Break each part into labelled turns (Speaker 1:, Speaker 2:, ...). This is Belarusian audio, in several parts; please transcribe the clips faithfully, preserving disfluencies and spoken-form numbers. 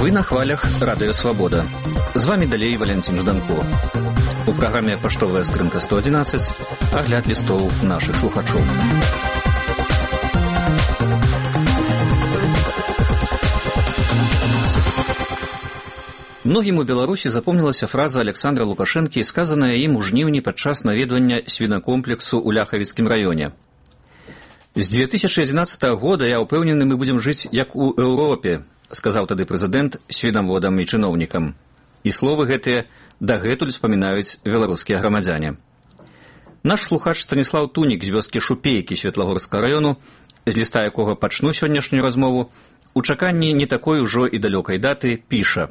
Speaker 1: Вы на хвалях Радыё Свабода. З вами далей Валентин Жданко. У праграме «Паштовая скрынка сто одиннадцать» агляд лістоў нашых слухачоў. Многім у Беларусі запомнілася фраза Александра Лукашэнкі, сказаная ім у жніўні падчас наведвання свінакомплексу ў Ляхавіцкім раёне. З две тысячи одиннадцатого года я ўпэўнены, мы будзем жыць як у Еўропе, сказаў тады прэзідэнт свінаводам і чыноўнікам. І словы гэтыя дагэтуль спамінаюць беларускія грамадзяне. Наш слухач Станіслаў Тунік з вёскі Шупейкі Светлагорскага раёну, з ліста якога пачну сённяшнюю размову, у чаканні не такой ужо і далёкай даты, піша: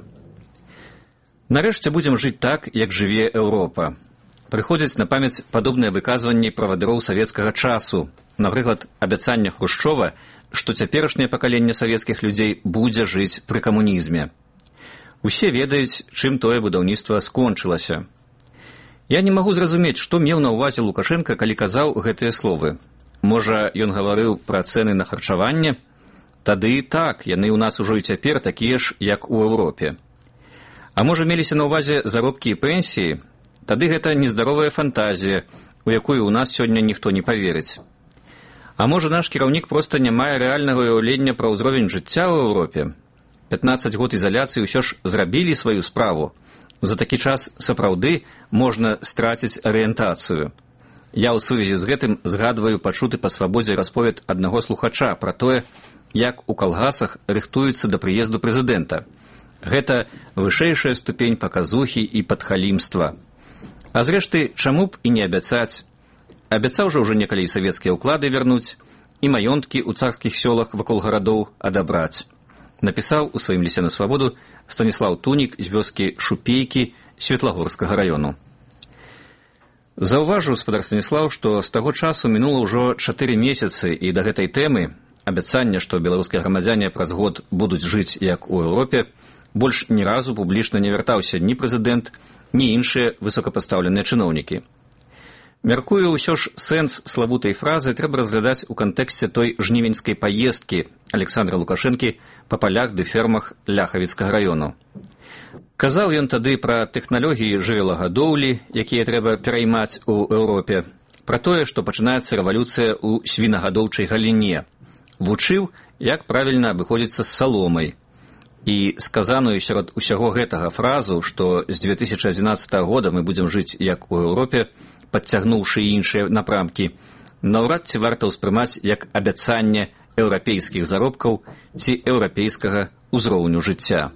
Speaker 1: «Нарэшце будзем жыць так, як жыве Еўропа. Прыходзяць на памяць падобныя выказванні правадыроў савецкага часу, напрыклад, абяцання Хрушчова, што цяперашняе пакаленне савецкіх людзей будзе жыць пры камунізме. Усе ведаюць, чым тое будаўніцтва скончылася. Я не магу зразумець, што меў на ўвазе Лукашенка, калі казаў гэтыя словы. Можа, ён гаварыў пра цэны на харчаванне? Тады і так, яны ў нас ужо і цяпер такія ж, як у Еўропе. А можа, меліся на ўвазе заробкі і пенсіі? Тады гэта нездаровая фантазія, у якую ў нас сёння ніхто не паверыць. А можа, наш кіраўнік проста не мае рэальнага ўяўлення пра ўзровень жыцця ў Еўропе? пятнаццаць год ізаляцыі ўсё ж зрабілі сваю справу. За такі час сапраўды можна страціць арыентацыю. Я ў сувязі з гэтым згадваю пачуты па свабодзе расповед аднаго слухача пра тое, як у калгасах рыхтуюцца да прыезду прэзідэнта. Гэта вышэйшая ступень паказухі і падхалімства. А зрэшты, чаму б і не абяцаць? Абяцаў жа ўжо некалі савецкія ўклады вярнуць і маёнткі ў царскіх сёлах вакол гарадоў адабраць. Напісаў у сваім лісце на свабоду Станіслаў Тунік з вёскі Шупейкі Светлагорскага раёну. Заўважыў спадар Станіслаў, што з таго часу мінула ўжо чатыры месяцы, і да гэтай тэмы, абяцання, што беларускія грамадзяне праз год будуць жыць як у Еўропе, больш ні разу публічна не вяртаўся ні прэзідэнт, ні іншыя высокапастаўленыя чыноўнікі. Мяркую, ўсё ж сэнс славутай фразы трэба разглядаць у кантэксце той жнівеньскай паездкі Александра Лукашэнкі па палях ды фермах Ляхавіцкага раёну. Казаў ён тады пра тэхналогіі жывёлагадоўлі, якія трэба пераймаць у Еўропе, пра тое, што пачынаецца рэвалюцыя ў свінагадоўчай галіне. Вучыў, як правільна абыходзіцца з саломай. І сказаную сярод усяго гэтага фразу, што з две тысячи одиннадцатого года мы будзем жыць як у Еўропе, падцягнуўшы іншыя напрамкі, наўрад ці варта ўспрымаць як абяцанне еўрапейскіх заробкаў ці еўрапейскага ўзроўню жыцця.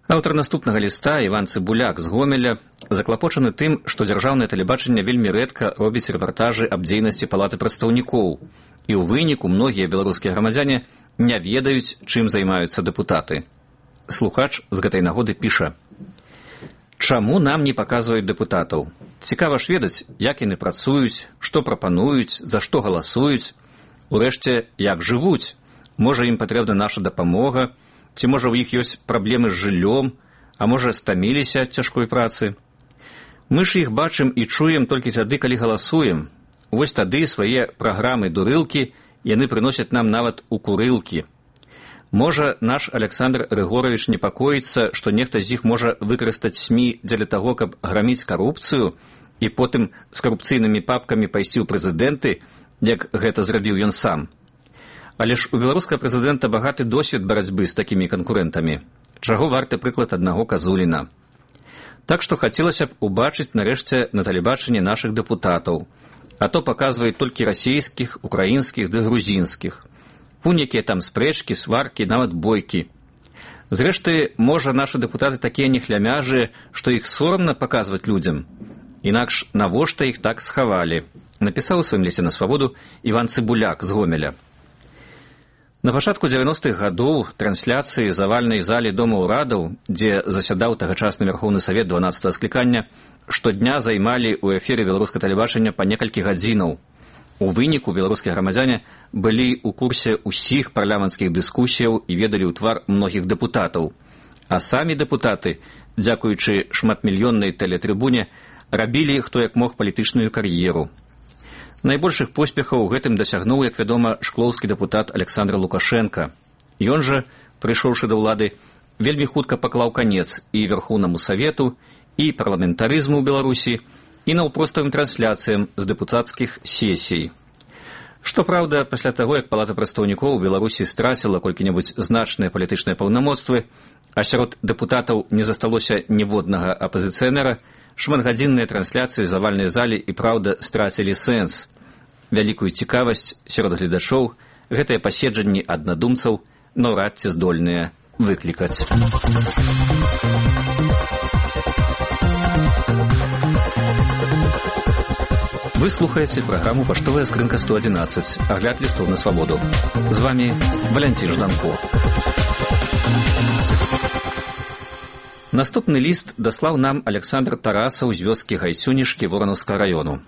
Speaker 1: Аўтар наступнага ліста, Іван Цыбуляк з Гомеля, заклапочаны тым, што дзяржаўнае тэлебачанне вельмі рэдка робіць рэпартажы аб дзейнасці палаты прадстаўнікоў, і ў выніку многія беларускія грамадзяне не ведаюць, чым займаюцца дэпутаты. Слухач з гэтай нагоды піша: «Чаму нам не паказваюць дэпутатаў? Цікава ж ведаць, як яны працуюць, што прапануюць, за што галасуюць, урэшце, як жывуць. Можа, ім патрэбна наша дапамога, ці можа ў іх ёсць праблемы з жыллём, а можа, стаміліся ад цяжкой працы. Мы ж іх бачым і чуем толькі тады, калі галасуем. Вось тады свае праграмы-дурылкі яны прыносяць нам нават у курылкі. Можа, наш Александр Рыгорович непакоіцца, што нехта з іх можа выкарыстаць СМІ дзеля таго, каб граміць карупцыю і потым з карупцыйнымі папкамі пайсці ў прэзідэнты, як гэта зрабіў ён сам. Але ж у беларускага прэзідэнта багаты досвед барацьбы з такімі канкурэнтамі. Чаго варты прыклад аднаго Казуліна. Так што хацелася б убачыць нарэшце на тэлебачанні нашых дэпутатаў, а то паказваюць толькі расійскіх, украінскіх ды грузінскіх. Вунь якія там спрэчкі, сваркі, нават бойкі. Зрэшты, можа, нашы дэпутаты такія нехлямяжыя, што іх сорамна паказваць людзям. Інакш навошта іх так схавалі, напісаў у сваім лісце на свабоду Іван Цыбуляк з Гомеля. На пачатку дзевяностых гадоў трансляцыі з авальнай залі Дома ўрадаў, дзе засядаў тагачасны Вярхоўны Савет дванаццатага склікання, штодня займалі ў эфіры беларускага тэлебачання па некалькі гадзінаў. У выніку беларускія грамадзяне былі ў курсе ўсіх парламенцкіх дыскусіяў і ведалі ў твар многіх дэпутатаў. А самі дэпутаты, дзякуючы шматмільённай тэлетрыбуне, рабілі хто як мог палітычную кар'еру. Найбольшых поспехаў у гэтым дасягнуў, як вядома, шклоўскі дэпутат Александр Лукашенко. Ён жа, прыйшоўшы да ўлады, вельмі хутка паклаў канец і Верхоўнаму Савету, і парламентарызму ў Беларусі, і наўпроставым трансляцыям з дэпутацкіх сесій. Што праўда, пасля таго, як Палата прадстаўнікоў у Беларусі страціла колькі-небудзь значныя палітычныя паўнамоцтвы, а сярод дэпутатаў не засталося ніводнага апазіцыянера, шматгадзінныя трансляцыі з авальнай залі і праўда страцілі сэнс. Вялікую цікавасць сярод гледачоў гэтыя паседжанні аднадумцаў наўрад ці здольныя выклікаць. Вы слухаеце праграму «Паштовая скрынка сто адзінаццаць», агляд лістоў на свабоду. З вами Валянцін Жданко. Наступны ліст даслаў нам Александр Тарасаў з вёскі Гайцюнішкі Воранаўскага раёну.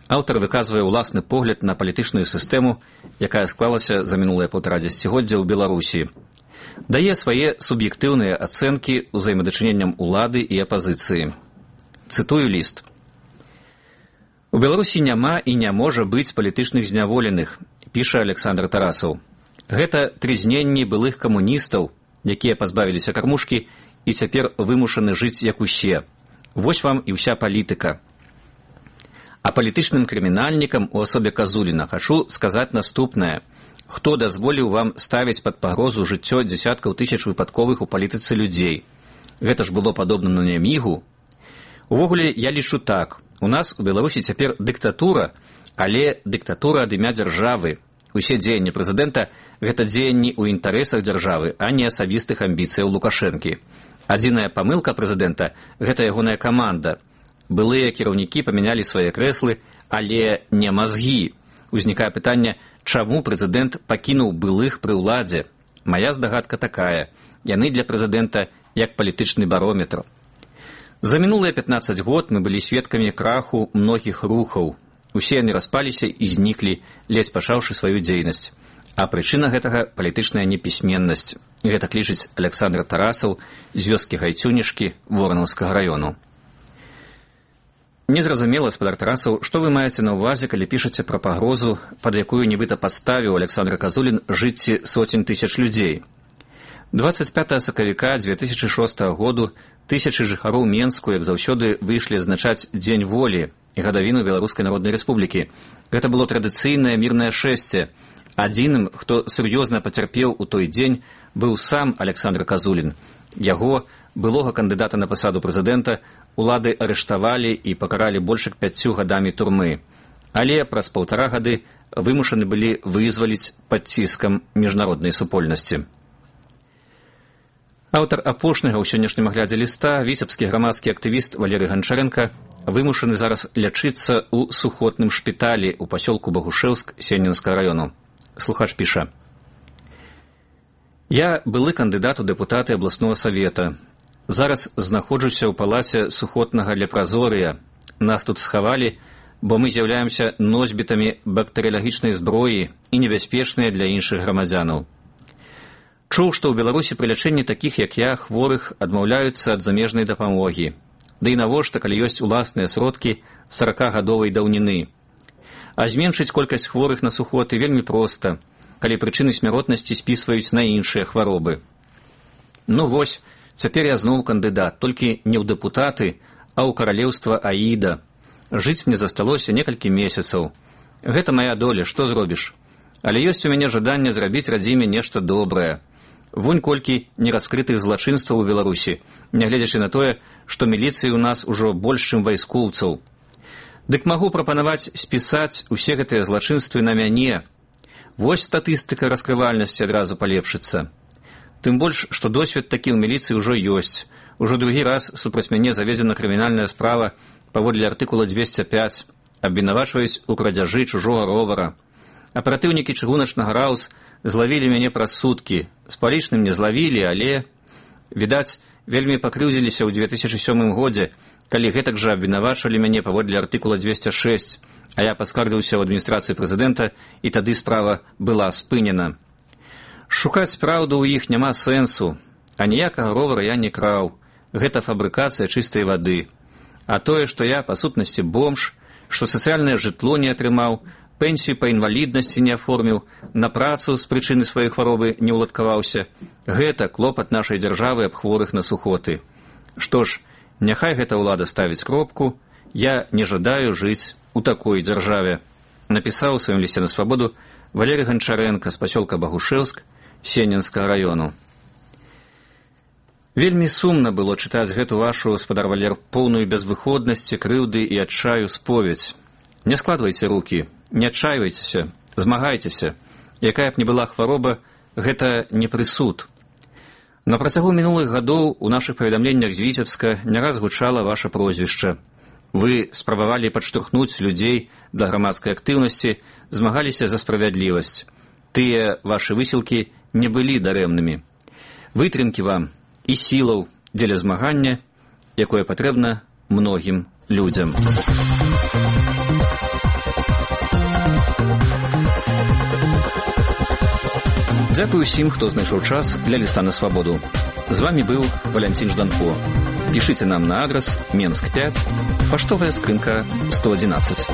Speaker 1: Аўтар выказвае ўласны погляд на палітычную сістэму, якая склалася за мінулае паўтара дзесяцігоддзя ў Беларусі. Дае свае суб'ектыўныя ацэнкі ўзаемадачыненням улады і апазіцыі. Цытую ліст. У Беларусі няма і не можа быць палітычных зняволеных, піша Александр Тарасаў. Гэта трызненні былых камуністаў, якія пазбавіліся кармушкі і цяпер вымушаны жыць як усе. Вось вам і ўся палітыка. А палітычным крымінальнікам у асобе Казуліна хачу сказаць наступнае. Хто дазволіў вам ставіць пад пагрозу жыццё дзесяткаў тысяч выпадковых у палітыцы людзей? Гэта ж было падобна на нямігу. Увогуле, я лічу так. У нас у Беларусі цяпер дыктатура, але дыктатура ад імя дзяржавы. Усе дзеянні прэзідэнта – гэта дзеянні ў інтарэсах дзяржавы, а не асабістых амбіцыяў Лукашэнкі. Адзіная памылка прэзідэнта – гэта ягоная каманда. Былыя кіраўнікі памянялі свае крэслы, але не мазгі. Узнікае пытанне, чаму прэзідэнт пакінуў былых пры ўладзе? Мая здагадка такая. Яны для прэзідэнта як палітычны барометр. За мінулыя пятнаццаць год мы былі сведкамі краху многіх рухаў. Усе яны распаліся і зніклі, ледзь пачаўшы сваю дзейнасць. А прычына гэтага – палітычная непісьменнасць. Гэта лічыць Александр Тарасаў з вёскі Гайцюнішкі Воранаўскага раёну. Незразумела, спадар Тарасаў, што вы маеце на ўвазе, калі пішаце пра пагрозу, пад якую нібыта падставіў Александр Казулін жыцці сотень тысяч людзей. дваццаць пятага сакавіка дзве тысячы шостага году тысячы жыхароў Менску, як заўсёды, выйшлі адзначаць Дзень волі і гадавіну Беларускай Народнай Рэспублікі. Гэта было традыцыйнае мірнае шэсце. Адзіным, хто сур'ёзна пацярпеў у той дзень, быў сам Александр Казулін. Яго, былога кандыдата на пасаду прэзідэнта, улады арыштавалі і пакаралі больш як пяццю гадамі турмы. Але праз паўтара гады вымушаны былі вызваліць пад ціскам міжнароднай супольнасці. Аўтар апошняга ў сённяшнім аглядзе ліста, віцебскі грамадскі актывіст Валерый Ганчарэнка, вымушаны зараз лячыцца ў сухотным шпіталі ў пасёлку Багушэўск Сеннінскага раёну. Слухач піша. Я былы кандыдат у дэпутаты абласнога савета. Зараз знаходжуся ў палаце сухотнага лепразорыя. Нас тут схавалі, бо мы з'яўляемся носьбітамі бактэрыялагічнай зброі і небяспечныя для іншых грамадзянаў. Чуў, што ў Беларусі пры лячэнні такіх, як я, хворых адмаўляюцца ад замежнай дапамогі. Ды і навошта, калі ёсць уласныя сродкі саракагадовай даўніны. А зменшыць колькасць хворых на сухоты вельмі проста, калі прычыны смяротнасці спісваюць на іншыя хваробы. Ну вось, цяпер я зноў кандыдат, толькі не ў дэпутаты, а ў каралеўства Аіда. Жыць мне засталося некалькі месяцаў. Гэта мая доля, што зробіш? Але ёсць у мяне жаданне зрабіць радзіме нешта добрае. Вунь колькі нераскрытых злачынстваў у Беларусі, нягледзячы на тое, што міліцыі ў нас ужо больш, чым вайскоўцаў. Дык магу прапанаваць спісаць усе гэтыя злачынствы на мяне. Вось статыстыка раскрывальнасці адразу палепшыцца. Тым больш, што досвед такі ў міліцыі ўжо ёсць. Ужо другі раз супраць мяне заведзена крымінальная справа паводле артыкула дзвесце пяць, абвінавачваюць у крадзяжы чужога ровара. Аператыўнікі чыгуначнага раус злавілі мяне праз суткі. З палічным не злавілі, але, відаць, вельмі пакрыўдзіліся ў дзве тысячы сёмым годзе, калі гэтак жа абвінавачвалі мяне паводле артыкула дзвесце шэсць, а я паскардзіўся ў адміністрацыю прэзідэнта, і тады справа была спынена. Шукаць праўду ў іх няма сэнсу, а ніякага ровара я не краў. Гэта фабрыкацыя чыстай вады. А тое, што я, па сутнасці, бомж, што сацыяльнае жытло не атрымаў, пенсію па інваліднасці не аформіў, на працу з прычыны сваёй хваробы не ўладкаваўся, гэта клопат нашай дзяржавы аб хворых на сухоты. Што ж, няхай гэта ўлада ставіць кропку, я не жадаю жыць у такой дзяржаве. Напісаў у сваім лісце на свабоду Валерий Гончаренко з пасёлка Багушэўск Сенінскага раёну. Вельмі сумна было чытаць гэту вашу, спадар Валер, поўную безвыходнасці, крыўды і адчаю споведь. Не складвайце рукі, не адчайвайцеся, змагайцеся. Якая б не была хвароба, гэта не прысуд. На працягу мінулых гадоў у нашых паведамленнях з Віцебска не раз гучала ваша прозвішча. Вы спрабавалі падштурхнуць людзей да грамадскай актыўнасці, змагаліся за справядлівасць. Тыя вашы высілкі не былі дарэмнымі. Вытрымкі вам і сілаў дзеля змагання, якое патрэбна многім людзям. Дзякуй усім, хто знайшоў час для ліста на свабоду. З вами быў Валянцін Жданко. Пішыце нам на адрас Менск пять, паштовая скрынка сто одиннадцать.